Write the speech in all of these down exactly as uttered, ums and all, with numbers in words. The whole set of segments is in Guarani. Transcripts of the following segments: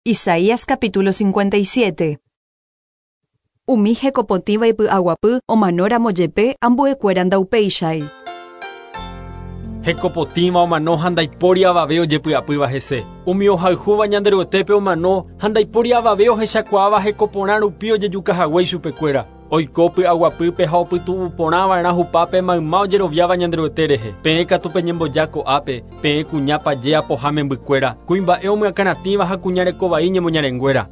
Isaías capítulo cincuenta y siete. Umi hekopotĩva ipy'aguapy omanóramo jepe ambuekuéra ndaupéichai. Hekopotĩva omano ha ndaipóri avave ojepy'apýva hese. Umi ohayhúva Ñanderuetépe omano ha ndaipóri avave ohechakuaáva hekoporã rupi ojejukahague ichupekuéra. Oiko py'aguapýpe ha opytu'uporãva'erã hupápe mayma ojeroviáva Ñanderuete rehe. Peẽ katu peñemboja ko'ápe, peẽ kuña paje apoha membykuéra, kuimba'e omyakãratĩva ha kuña rekovai ñemoñarenguéra.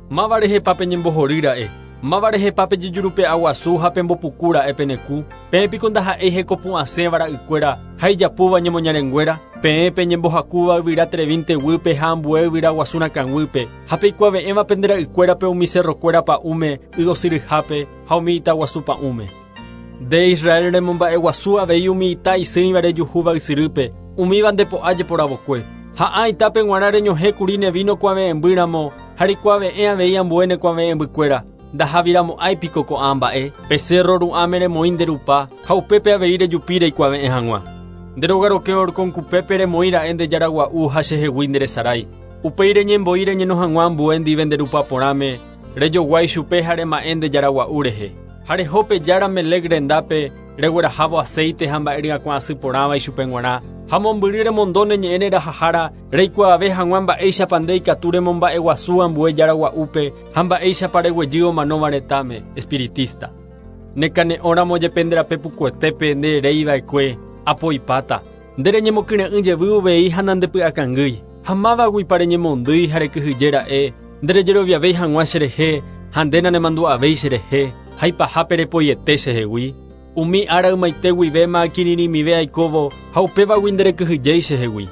Máva rehepa peñembohorýra'e, máva rehepa pejejurupe'aguasu ha pembopukúra'e penekũ, peẽ piko ndaha'éi hekopu'ãsẽva ra'ykuéra ha ijapúva ñemoñarenguéra, peẽ peñembohakúva yvyra trevinte guýpe ha ambue yvyra guasu rakãguýpe, ha peikuave'ẽva pende ra'ykuérape umi cerrokuéra pa'ũme, ygosyryhápe ha umi itaguasu pa'ũme. Nde Israel remomba'eguasu avei umi ita isỹiva rejuhúva ysyrýpe, umíva ndepo'a jeporavokue. Ha itápe g̃uarã reñohẽkuri ne vino kuave'ẽmbýramo ha reikuave'ẽ avei ambue ne kuave'ẽmbykuéra. Ndahaviramo'ãi piko ko'ã mba'e, pe cerro ru'ãme remoĩ nde rupa ha upépe avei rejupi reikuave'ẽ hag̃ua. Nde rogaroke orkonkupépe remoĩra'e nde jaragua'u ha chehegui nderesarái. Upéi reñembo'i reñeno hag̃ua ambue ndive nde rupa porãme, rejoguái chupe ha rema'ẽ nde jaragua'u rehe. Ha rehópe jára Melec rendápe reguerahávo aceite ha mba'e ryakuã asy porãva ichupe g̃uarã, ha mombyry remondo ne ñe'ẽ rerahahára reikuaave hag̃ua mba'éichapa nde ikatu remomba'eguasu ambue jaragua'úpe ha mba'éichapa reguejy omanóva retãme, espiritista. Nekane'õramo jepe nde rape pukuetépe nde reiva'ekue apoipáta. Nde reñemokyre'ỹ jevy uvei ha nandepy'akangýi. Ha mávaguipa reñemondýi ha rekyhyjéra'e, nde rejeroviavéi hag̃ua cherehe ha nde nanemandu'avéi cherehe, ha ipahápe repoiete chehegui. Umi ára ymaite guivéma akirirĩmive aikóvo ha upévagui nderekyhyjéi chehegui.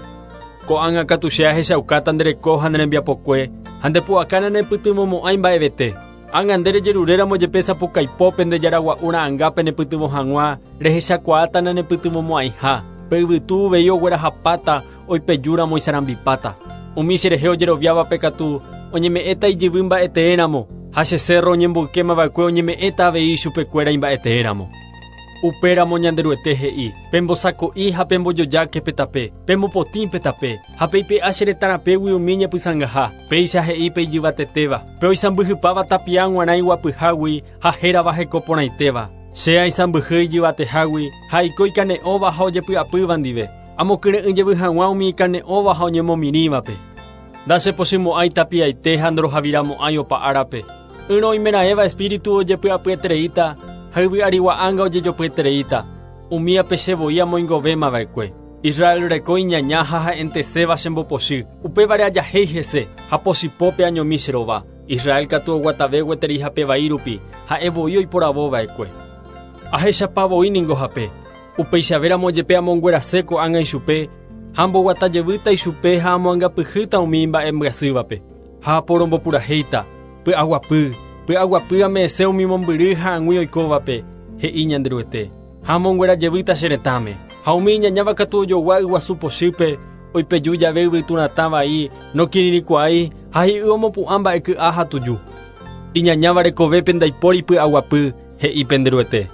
Ko'ág̃a katu che ahechaukáta nde reko ha ne rembiapokue ha ndepu'aka nanepytyvõmo'ãi mba'evete. Ág̃a nde rejeruréramo jepe sapukaipópe nde jaragua'u ra'ãngápe nepytyvõ hag̃ua, rehechakuaáta nanepytyvõmo'ãiha. Pe yvytu uvei oguerahapáta oipejúramo isarambipáta. Umi cherehe ojeroviávape katu oñeme'ẽta ijyvy mba'eteéramo ha che cerro oñemboykémava'ekue oñeme'ẽta avei ichupekuéra imba'eteéramo. Upéramo Ñanderuete he'i, pembosako'i ha pembojojáke pe tape, pembopotĩ pe tape, ha peipe'a che retãrapégui umi ñepysãngaha, péicha he'i pe ijyvatetéva, pe oisãmbyhypáva tapia g̃uarã iguapyhágui ha hérava hekoporãitéva. Che aisãmbyhy ijyvatehágui ha aiko ikane'õva ha ojepy'apýva ndive, amokyre'ỹ jevy hag̃ua umi ikane'õva ha oñemomirĩvape. Ndachepochymo'ãi tapiaite ha ndorohaviramo'ãi opa árape. Ỹrõ oimeraẽva espíritu ojepy'apyetereíta ha yvy'arigua'ãnga ojejopyetereíta, umíape chevoi amoingovémava'ekue. Israel reko iñaña ha ha'enteséva chembopochy, upévare ajahéi hese ha pochypópe añomi che rova. Israel katu oguatave gueteri hape vai rupi, ha'e voi oiporavova'ekue. Ahechapavoi ningo hape, upeichavéramo jepe amonguerase ko'ág̃a ichupe, ha amboguatajevýta ichupe ha amoangapyhýta umi mba'embyasývape. Ha aporombopurahéita, py'aguapy, py'aguapy ame'ẽse umi mombyry ha ag̃ui oikóvape, he'i Ñanderuete. Ha amonguerajevýta che retãme. Ha umi iñañáva katu ojogua yguasu pochýpe, oipeju jave yvyturatã vai, nokirirĩkuaái ha hi'y omopu'ã mba'eky'a ha tuju. Iñañáva rekovépe ndaipóri py'aguapy, he'i Penderuete.